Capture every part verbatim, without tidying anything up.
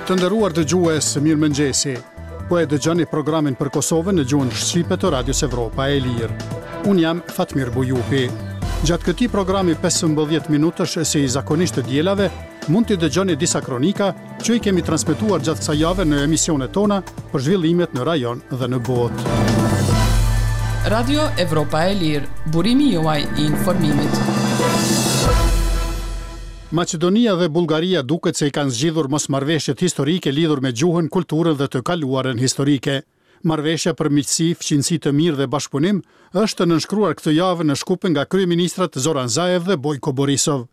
Të nderuar dëgjues, mirëmëngjesi. Po e dëgjoni programin për Kosovën në gjuhën shqipe të Radios Evropa e Lirë. Unë jam Fatmir Bujupi. Gjatë këtij programi pesëmbëdhjetë minutësh si zakonisht të dielave, mund t'i dëgjoni disa kronika që i kemi transmetuar gjatë kësaj jave në emisionet tona për zhvillimet në rajon dhe në botë. Radio Evropa e Lirë, burimi juaj i informimit. Maqedonia dhe Bullgaria duket se i kanë zgjidhur mosmarrëveshjet historike lidhur me gjuhën, kulturën dhe të kaluarën historike. Marrëveshja për miqësi, fqinjësi të mirë dhe bashkëpunim është nënshkruar këtë javë në Shkup nga kryeministrat Zoran Zaev dhe Bojko Borisov.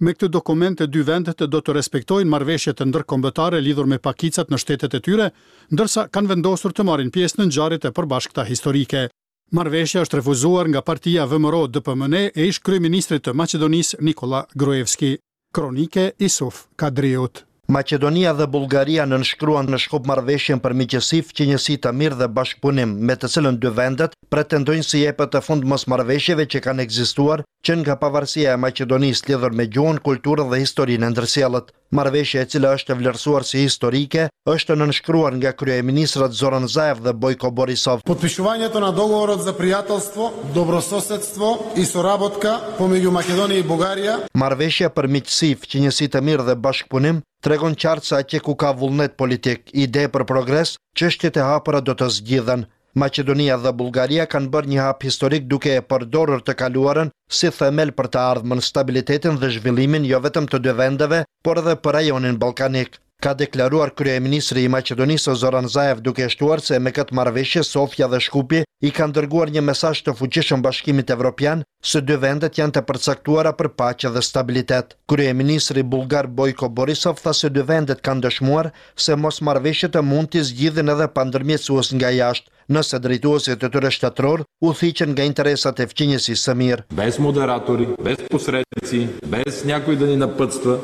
Me këtë dokument të dy vendet do të respektojnë marrëveshjet ndërkombëtare lidhur me pakicat në shtetet e tyre, ndërsa kanë vendosur të marrin pjesë në ngjarjet e përbashkëta historike. Marrëveshja është refuzuar nga partia V M R O D P M N e ish kryeministrit të Maqedonisë Nikola Gruevski. Kronike Isuf Kadriut. Maqedonia dhe Bullgaria nënshkruan në Shkup marrëveshjen për miqësi, fqinjësi të mirë dhe bashkëpunim, me të cilën dy vendet pretendojnë si jepet të fund mosmarrëveshjeve që kanë ekzistuar që nga pavarësia e Maqedonisë lidhur me gjuhën, kulturën dhe historinë e ndërsjellët. Marrëveshja e cila është vlerësuar si historike është nënshkruar nga kryeministrat Zoran Zaev dhe Bojko Borisov. Potpишувањето на договорот за пријателство, добрососедство и соработка помеѓу Македонија и Бугарија. Marrëveshja për miqësi, fqinjësi të mirë dhe bashkëpunim tregon qartë se atje ku ka vullnet politik, ide për progres, çështjet e hapura do të zgjidhen. Maqedonia dhe Bullgaria kanë bërë një hap historik duke e përdorur të kaluarën si themel për të ardhmen, stabilitetin dhe zhvillimin jo vetëm të dy vendeve, por edhe për rajonin ballkanik. Ka deklaruar kryeministri i Maqedonisë Zoran Zaev duke shtuar se me këtë marrëveshje Sofja dhe Shkupi i kanë dërguar një mesazh të fuqishëm Bashkimit Evropian se dy vendet janë të përcaktuara për paqe dhe stabilitet. Kryeministri bullgar Bojko Borisov tha se dy vendet kanë dëshmuar se mosmarrëveshjet mund t'i zgjidhin edhe pa ndërmjetësues nga jashtë, nëse drejtuesit e tyre shtetëror u thiqen nga interesat e fqinjësisë së mirë. Без модератори, без посредници, без някой да ни напътства,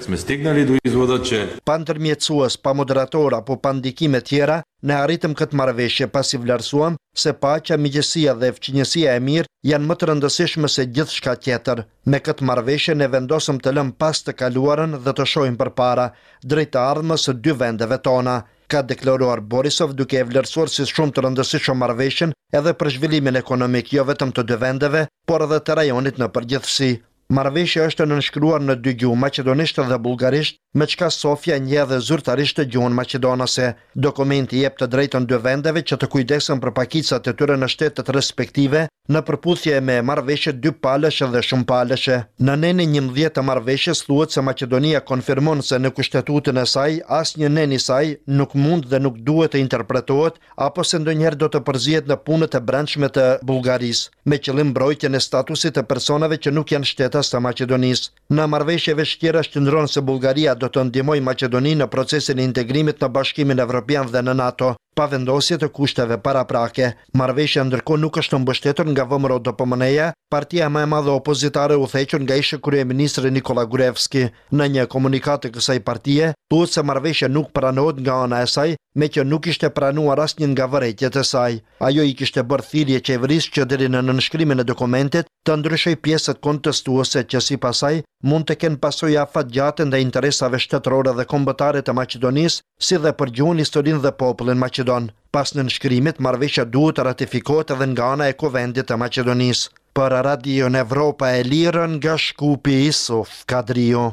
сме стигнали до извода, че Pa ndërmjetësues, pa moderator apo pa ndikime tjera, ne arritëm këtë marrëveshje pasi vlerësuam se paqja, miqësia dhe fqinjësia e mirë janë më të rëndësishme se gjithçka tjetër. Me këtë marrëveshje ne vendosëm të lëmë pas të kaluarën dhe të shohim përpara, drejt të ardhmes së dy vendeve tona, ka deklaruar Borisov duke e vlerësuar si shumë të rëndësishëm marrëveshjen edhe për zhvillimin ekonomik jo vetëm të dy vendeve, por edhe të rajonit në përgjithësi. Marrëveshja është nënshkruar në dy gjuhë, maqedonisht dhe bullgarisht, me çka Sofja njeh edhe zyrtarisht gjuhën maqedonase. Dokumenti jep të drejtën dy vendeve që të kujdesen për pakicat e tyre në shtetet respektive, në përputhje me marrëveshjet dy palëshe dhe shumë palëshe. Në nenin njëmbëdhjetë të marrëveshjes thuhet se Maqedonia konfirmon se në kushtetutën e saj asnjë nen i saj nuk mund dhe nuk duhet të interpretohet apo se ndonjëherë do të përzihet në punët e brendshme të Bullgarisë, me qëllim mbrojtjen e statusit të personave që nuk janë shtetas të Maqedonisë. Në marrëveshje veç tjerash qëndron se Bullgaria do të ndihmojë Maqedoninë në procesin e integrimit në Bashkimin Evropian dhe në NATO, pa vendosje të kushteve paraprake. Marrëveshja ndërkohë nuk është mbështetur nga V M R O D P M N-ja, partia më e madhe opozitare u thequr nga ish kryeministri Nikola Gruevski. Në një komunikatë të kësaj partie, thuhet se marrëveshja nuk pranohet nga ana e saj, me që nuk ishte pranuar asnjë nga vërejtjet e saj. Ajo i kishte bërë thirrje qeverisë që deri në nënshkrimin e dokumentit të ndryshojë pjesët kontestuese që sipas saj mund të kenë pasoja afatgjate ndaj interesave shtetërore dhe kombëtare të Maqedonisë, si dhe për gjuhën, historinë dhe popullin maqedon. Pas nënshkrimit, marrëveshja duhet të ratifikohet edhe nga ana e Kuvendit të Maqedonisë. Për Radion Evropa e Lirë nga Shkupi, Isuf Kadriu.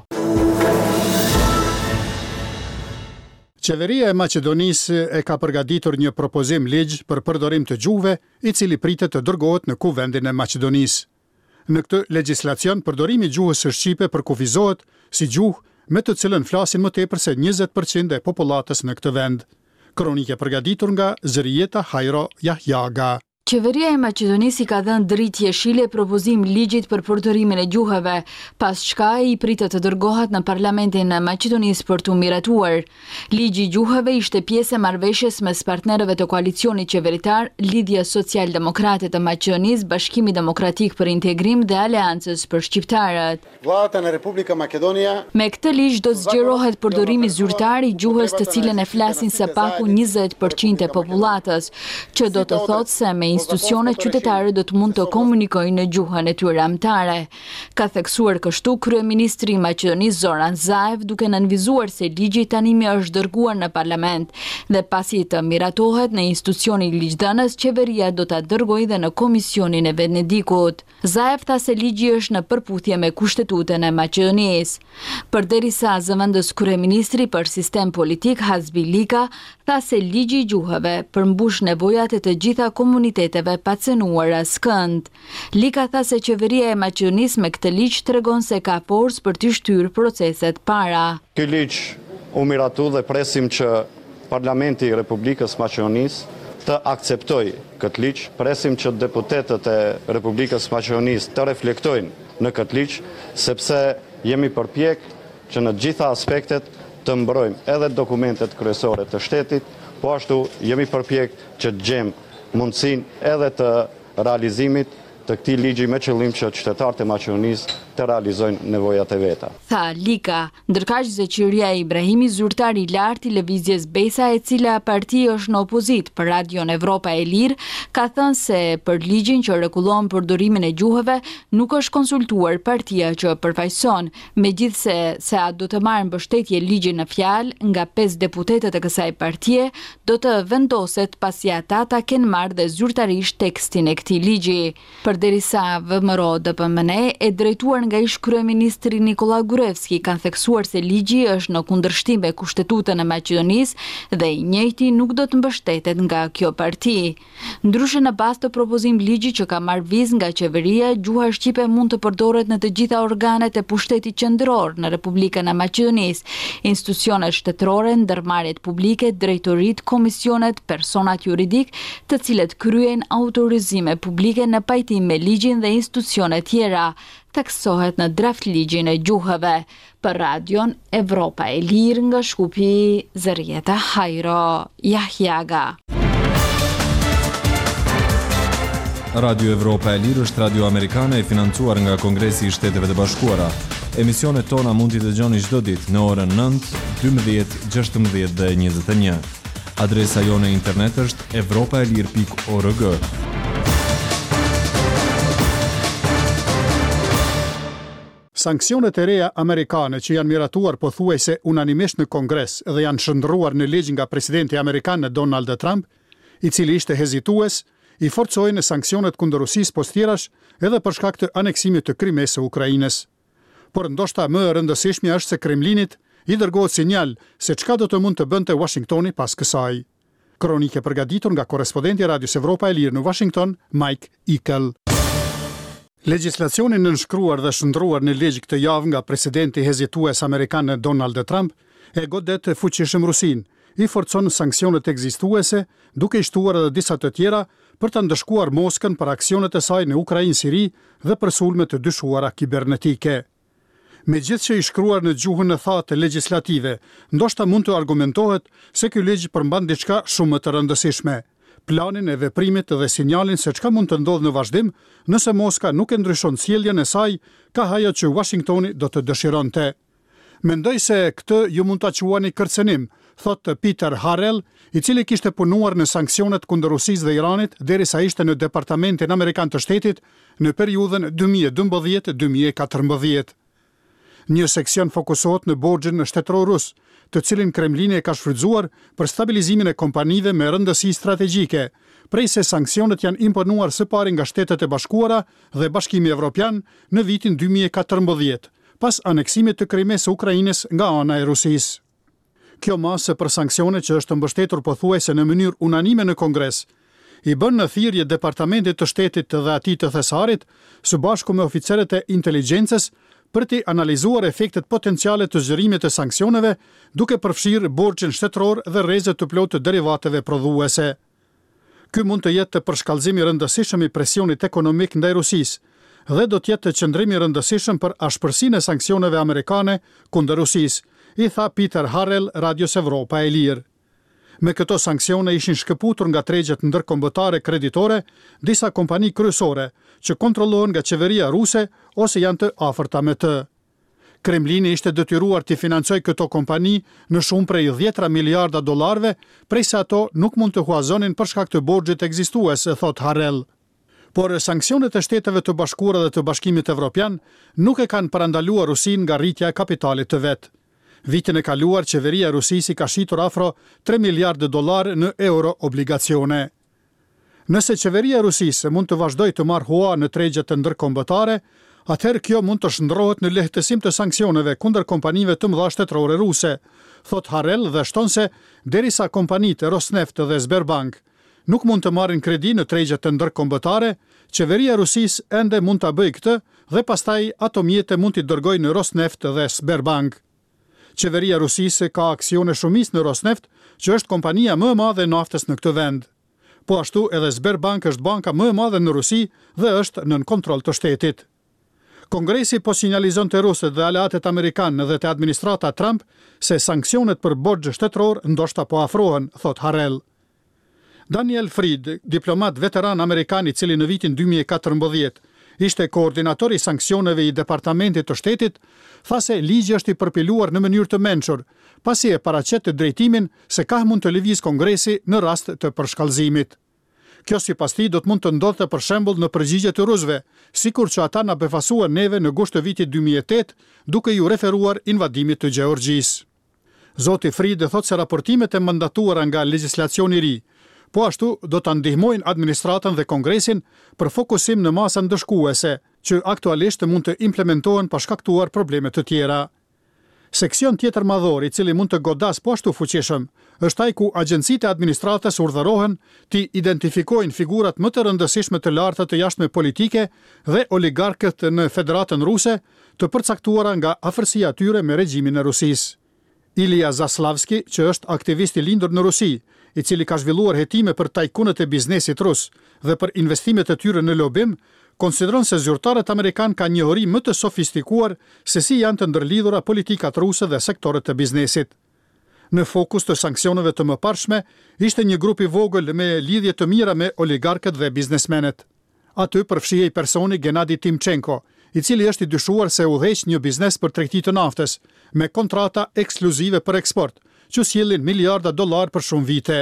Qeveria e Maqedonisë e ka përgatitur një propozim ligj për përdorim të gjuhëve, i cili pritet të dërgohet në Kuvendin e Maqedonisë. Në këtë legjislacion, përdorimi i gjuhës së shqipe përkufizohet si gjuhë me të cilën flasin më tepër se njëzet përqind e popullatës në këtë vend. Kronike përgatitur nga Zërijeta Hajro Jahjaga. Qeveria e Maqedonisë i ka dhënë dritë jeshile propozim ligjit për përdorimin e gjuhëve, pas çka i pritet të dërgohet në Parlamentin e Maqedonisë për t'u miratuar. Ligji i gjuhëve ishte pjesë e marrëveshjes mes partnerëve të koalicionit qeveritar, Lidhja Social-Demokrate të Maqedonisë, Bashkimi Demokratik për Integrim dhe Aleancës për Shqiptarët. Vladata në Republika Makedonia Me këtë ligj do të zgjerohet përdorimi zyrtar i gjuhës të cilën e flasin së paku njëzet përqind e popullatës, që do të thotë se me institucione qytetarët do të mund të komunikojnë në gjuhën e tyre amtare. Ka theksuar kështu kryeministri i Maqedonisë Zoran Zaev, duke nënvizuar se ligji tanimë është dërguar në parlament dhe pasi të miratohet në institucionin ligjdhënës, qeveria do ta dërgojë dhe në Komisionin e Venedikut. Zaev tha se ligji është në përputhje me Kushtetutën e Maqedonisë. Përderisa zëvendës kryeministri për sistem politik Hazbi Lika tha se ligji i gjuhëve përmbush nevojat e të gjitha komuniteteve pa cenuar askënd. Lika tha se qeveria e Maqedonisë me këtë ligj tregon se ka forcë për të shtyrë proceset para. Ky ligj u miratu dhe presim që Parlamenti i Republikës Maqedonisë të akceptojë këtë ligj, presim që deputetët e Republikës Maqedonisë të reflektojnë në këtë ligj, sepse jemi përpjek që në gjitha aspektet të mbrojmë edhe dokumentet kryesore të shtetit, po ashtu jemi përpjek që të gjejmë mundësinë edhe të realizimit të këtij ligji me qëllim që qytetarët e Maqedonisë të realizojnë nevojat e veta. Tha Lika, ndërkaq Zeqiria Ibrahimi, zyrtar i lartë i lëvizjes Besa, e cila parti është në opozitë për Radion Evropa e Lirë, ka thënë se për ligjin që rregullon përdorimin e gjuhëve nuk është konsultuar partia që përfaqëson, megjithëse se a do të marrë mbështetje ligjin në fjalë nga pesë deputetët e kësaj partie, do të vendoset pasi ata ta kenë marrë dhe zyrtarisht tekstin e këtij ligji. Përderisa V M R O D P M N e drejtuar nga ish kryeministri Nikola Gruevski kanë theksuar se ligji është në kundërshtim me Kushtetutën e Maqedonisë dhe i njëjti nuk do të mbështetet nga kjo parti. Ndryshe, në bazë të propozim ligji që ka marrë vizë nga qeveria, gjuha shqipe mund të përdoret në të gjitha organet e pushtetit qendror në Republikën e Maqedonisë, institucionet shtetërore, ndërmarrjet publike, drejtoritë, komisionet, personat juridik, të cilët kryejnë autorizime publike në pajtim me ligjin dhe institucionet tjera, theksohet në draft ligjin e gjuhëve. Për Radion Evropa e Lirë nga Shkupi, Zërjeta Hajro Jahjaga. Radio Evropa e Lirë është radio amerikane e financuar nga Kongresi i Shteteve të Bashkuara. Emisionet tona mund t'i dëgjoni çdo ditë në orën nëntë, dymbëdhjetë, gjashtëmbëdhjetë dhe njëzet e një. Adresa jonë e internet është evropaelir pikë org. Sanksionet e reja amerikane që janë miratuar pothuajse unanimisht në Kongres dhe janë shndërruar në ligj nga presidenti amerikan Donald Trump, i cili ishte hezitues, i forcojnë sanksionet kundër Rusisë pos tjerash edhe për shkak të aneksimit të Krimesë së Ukrainës. Por ndoshta më e rëndësishmja është se Kremlinit i dërgohet sinjal se çka do të mund të bënte Washingtoni pas kësaj. Kronike përgatitur nga korrespondenti i Radios Evropa e Lirë në Washington, Mike Ickel. Legjislacioni nënshkruar dhe shndruar në ligj këtë javë nga presidenti hezitues amerikan Donald Trump e godet fuqishëm Rusinë, i forcon sanksionet ekzistuese, duke i shtuar edhe disa të tjera për të ndëshkuar Moskën për aksionet e saj në Ukrainë, Siri dhe për sulme të dyshuara kibernetike. Megjithëse i shkruar në gjuhën e thatë legjislative, ndoshta mund të argumentohet se ky ligj përmban diçka shumë më të rëndësishme: planin e veprimit dhe sinjalin se çka mund të ndodhë në vazhdim nëse Moska nuk e ndryshon sjelljen e saj, ka ajo që Washingtoni do të dëshironte. Mendoj se këtë ju mund ta quani kërcënim, thotë Peter Harrell, i cili kishte punuar në sanksionet kundër Rusisë dhe Iranit derisa ishte në Departamentin Amerikan të Shtetit në periudhën dy mijë e dymbëdhjetë dy mijë e katërmbëdhjetë. Një seksion fokusohet në borxhin shtetëror rus, të cilin Kremlini e ka shfrytzuar për stabilizimin e kompanive me rëndësi strategjike, prej se sanksionet janë imponuar së pari nga Shtetet e Bashkuara dhe Bashkimi Evropian në vitin dy mijë e katërmbëdhjetë, pas aneksimit të Krimesë së Ukrainës nga ana e Rusisë. Kjo masë për sanksione që është mbështetur pothuajse në mënyrë unanime në Kongres, i bën në thirrje Departamentit të Shtetit dhe atij të Thesarit, së bashku me oficerët e inteligjencës, për t'i analizuar efektet potenciale të zgjerimit të sanksioneve, duke përfshirë borxhin shtetëror dhe rrezet të plotë të derivateve prodhuese. Ky mund të jetë përshkallëzim i rëndësishëm i presionit ekonomik ndaj Rusisë dhe do të jetë qëndrim i rëndësishëm për ashpërsinë e sanksioneve amerikane kundër Rusisë, i tha Peter Harrell Radios Evropa e Lirë. Me këto sanksione ishin shkëputur nga tregjet ndërkombëtare kreditore disa kompani kryesore që kontrollohen nga qeveria ruse ose janë të afërta me të. Kremlini ishte detyruar t'i financojë këto kompani në shumë prej dhjetëra miliarda dollarëve, prej se ato nuk mund të huazonin për shkak të borxhit ekzistues, thotë Harrell. Por sanksionet e Shteteve të Bashkuara dhe të Bashkimit Evropian nuk e kanë parandaluar Rusinë nga rritja e kapitalit të vet. Vitin e kaluar qeveria e Rusisë i ka shitur afro tre miliardë dollarë në euro obligacione. Nëse qeveria e Rusisë mund të vazhdojë të marrë hua në tregjet ndërkombëtare, atëherë kjo mund të shndërrohet në lehtësim të sanksioneve kundër kompanive të mëdha shtetërore ruse, thotë Harrell dhe shton se derisa kompanitë Rosneft dhe Sberbank nuk mund të marrin kredi në tregjet ndërkombëtare, qeveria e Rusisë ende mund ta bëjë këtë dhe pastaj ato mjete mund t'i dërgojë në Rosneft dhe Sberbank. Qeveria e Rusisë ka aksione shumicë në Rosneft, që është kompania më e madhe e naftës në këtë vend. Po ashtu edhe Sberbank është banka më e madhe në Rusi dhe është nën kontroll të shtetit. Kongresi po sinjalizon te rusët dhe aleatët amerikanë dhe te administrata Trump se sanksionet për borxh shtetëror ndoshta po afrohen, thotë Harrell. Daniel Fried, diplomat veteran amerikan i cili në vitin dy mijë e katërmbëdhjetë ishte koordinator i sanksioneve i Departamentit të Shtetit, tha se ligji është i përpiluar në mënyrë të mençur, pasi e paraqet drejtimin se kah mund të lëvizë Kongresi në rast të përshkallëzimit. Kjo sipas tij do të mund të ndodhte për shembull në përgjigje të rusëve, sikur që ata na befasuan neve në gusht të vitit dy mijë e tetë, duke iu referuar invadimit të Gjeorgjisë. Zoti Fried thotë se raportimet e mandatuara nga legjislacioni i ri, po ashtu do ta ndihmojnë administratën dhe Kongresin për fokusim në masa ndëshkuese, që aktualisht mund të implementohen pa shkaktuar probleme të tjera. Seksion tjetër madhor, i cili mund të godas po ashtu fuqishëm, është ai ku agjencitë e administratës urdhërohen t'i identifikojnë figurat më të rëndësishme të larta të jashtme politike dhe oligarkët në Federatën Ruse, të përcaktuara nga afërsia e tyre me regjimin e Rusisë. Ilya Zaslavski, që është aktivist i lindur në Rusi, i cili ka zhvilluar hetime për tajkunët e biznesit rus dhe për investimet e tyre në lobim, konsideron se zyrtarët amerikan kanë njohuri më të sofistikuar se si janë të ndërlidhura politikat ruse dhe sektorët e biznesit. Në fokus të sanksioneve të mëparshme ishte një grup i vogël me lidhje të mira me oligarkët dhe biznesmenët. Aty përfshihej personi Gennady Timchenko, i cili është i dyshuar se udhëheq një biznes për tregti të naftës, me kontrata ekskluzive për eksport, që sjellin miliarda dollar për shumë vite.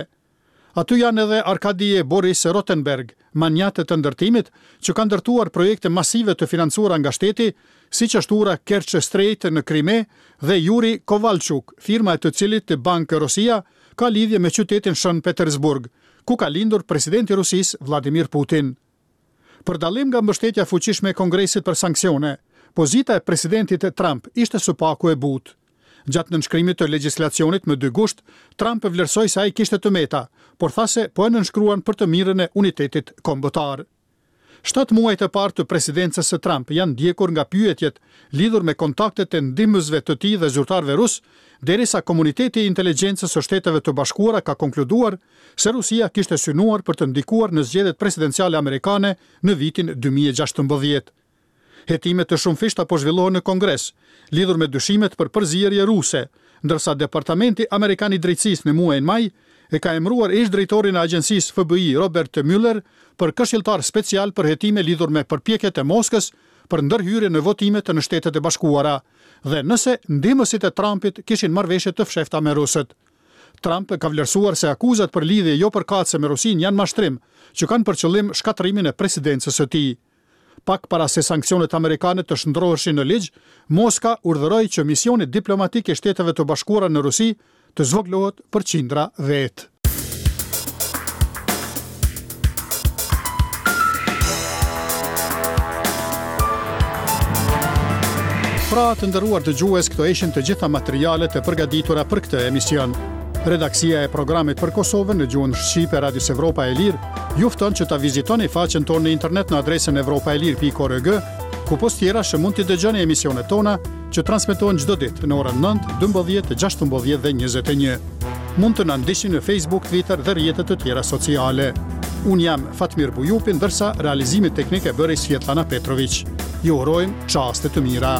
Aty janë edhe Arkadi e Boris Rotenberg, manjate të ndërtimit, që kanë ndërtuar projekte masive të financuara nga shteti, siç është ura Kerch Strait në Krime dhe Yuri Kovalchuk, firma e të cilit Bank Rosia ka lidhje me qytetin Shën Petersburg, ku ka lindur presidenti i Rusisë Vladimir Putin. Për dallim nga mbështetja e fuqishme e Kongresit për sanksione, pozita e presidentit Trump ishte së paku e butë. Gjatë nënshkrimit të legjislacionit më dy gusht, Trump vlerësoi se ai kishte të meta, por tha se po e nënshkruan për të mirën e unitetit kombëtar. Shtatë muajt e parë të presidencës së Trump janë ndjekur nga pyetjet lidhur me kontaktet e ndihmësve të tij dhe zyrtarëve rus, derisa komuniteti i inteligjencës së Shteteve të Bashkuara ka konkluduar se Rusia kishte synuar për të ndikuar në zgjedhjet presidenciale amerikane në vitin dy mijë e gjashtëmbëdhjetë. Hetime të shumëfishta po zhvillohen në Kongres, lidhur me dyshimet për përzierje ruse, ndërsa Departamenti Amerikan i Drejtësisë në muajin maj e ka emëruar ish drejtorin e agjencisë F B I Robert Mueller për këshilltar special për hetime lidhur me përpjekjet e Moskës për ndërhyrje në votimet në Shtetet e Bashkuara dhe nëse ndihmësit e Trumpit kishin marrëveshje të fshehta me rusët. Trump ka vlerësuar se akuzat për lidhje jo përkatëse me Rusinë janë mashtrim, që kanë për qëllim shkatërrimin e presidencës së tij. Pak para se sanksionet amerikane të shndroheshin në ligj, Moska urdhëroi që misioni diplomatik i Shteteve të Bashkuara në Rusi të zvogëlohet për qindra vetë. Pra, të nderuar dëgjues, këto ishin të gjitha materialet e përgatitura për këtë emision. Redaksia e programit për Kosovën në gjuhën shqipe Radios Evropa e Lirë ju fton që ta vizitoni faqen tonë në internet në adresën evropa e lirë pikë org, ku pos tjerash mund t'i dëgjoni emisionet tona që transmetohen çdo ditë në orën nëntë, dymbëdhjetë, gjashtëmbëdhjetë dhe njëzet e një. Mund të na ndiqni në Facebook, Twitter dhe rrjete të tjera sociale. Unë jam Fatmir Bujupi, ndërsa realizimin teknik e bëri Svjetlana Petrović. Ju urojmë çaste të mira.